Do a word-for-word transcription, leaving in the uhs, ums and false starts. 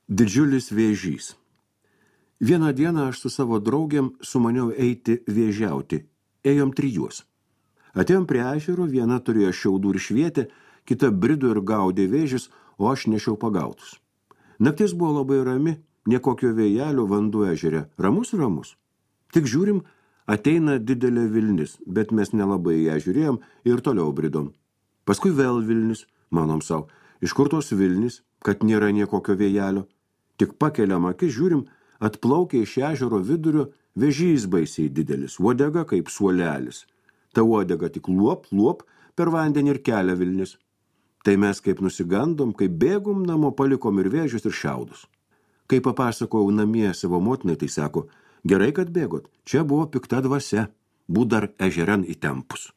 Didžiulis vėžys. Vieną dieną aš su savo draugiam sumaniau eiti vėžiauti. Ėjom trijus. Atėjom prie ežero, viena turėjo šiaudų ir švietė, kita brido ir gaudė vėžis, o aš nešiau pagautus. Naktis buvo labai rami, niekokio vėjelio, vanduo ežere. Ramus, ramus. Tik žiūrim, ateina didelė vilnis, bet mes nelabai ją žiūrėjom ir toliau bridom. Paskui vėl vilnis, manom savo, iš kur tos vilnis, kad nėra niekokio vėjelio. Tik pakeliam akis, žiūrim, atplaukia iš ežero vidurio vėžys baisiai didelis, uodega kaip suolelis. Ta uodega tik luop, luop, per vandenį ir kelia vilnis. Tai mes kaip nusigandom, kaip bėgom namo, palikom ir vėžius ir šiaudus. Kai papasakojau namie savo motinai, tai sako, gerai, kad bėgot, čia buvo pikta dvasia, būt dar ežeran įtempus.